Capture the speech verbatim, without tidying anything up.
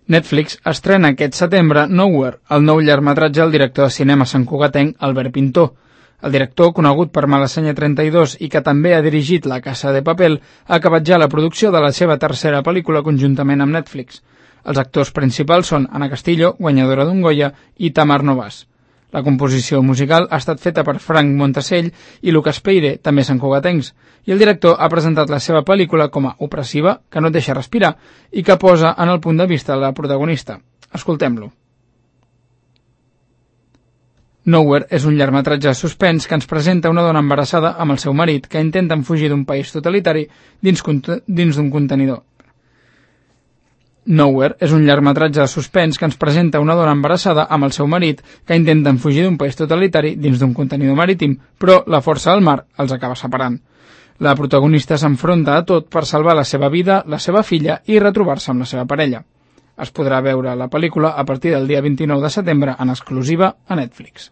Netflix estrena aquest setembre Nowhere, el nou llargmetratge del director de cinema santcugatenc Albert Pintó. El director, conegut per Malassanya trenta-dos i que també ha dirigit La Casa de Papel, ha acabat ja la producció de la seva tercera pel·lícula conjuntament amb Netflix. Els actors principals són Ana Castillo, guanyadora d'un Goya, i Tamar Novas. La composició musical ha estat feta per Frank Montacell i Lucas Peire, també santcugatencs, i el director ha presentat la seva pel·lícula com a opressiva, que no et deixa respirar, i que posa en el punt de vista de la protagonista. Escoltem-lo. Nowhere és un llargmetratge de suspens que ens presenta una dona embarassada amb el seu marit que intenten fugir d'un país totalitari dins, dins d'un contenidor. Nowhere és un llargmetratge de suspens que ens presenta una dona embarassada amb el seu marit que intenten fugir d'un país totalitari dins d'un contenidor marítim, però la força del mar els acaba separant. La protagonista s'enfronta a tot per salvar la seva vida, la seva filla i retrobar-se amb la seva parella. Es podrà veure la pel·lícula a partir del dia vint-i-nou de setembre en exclusiva a Netflix.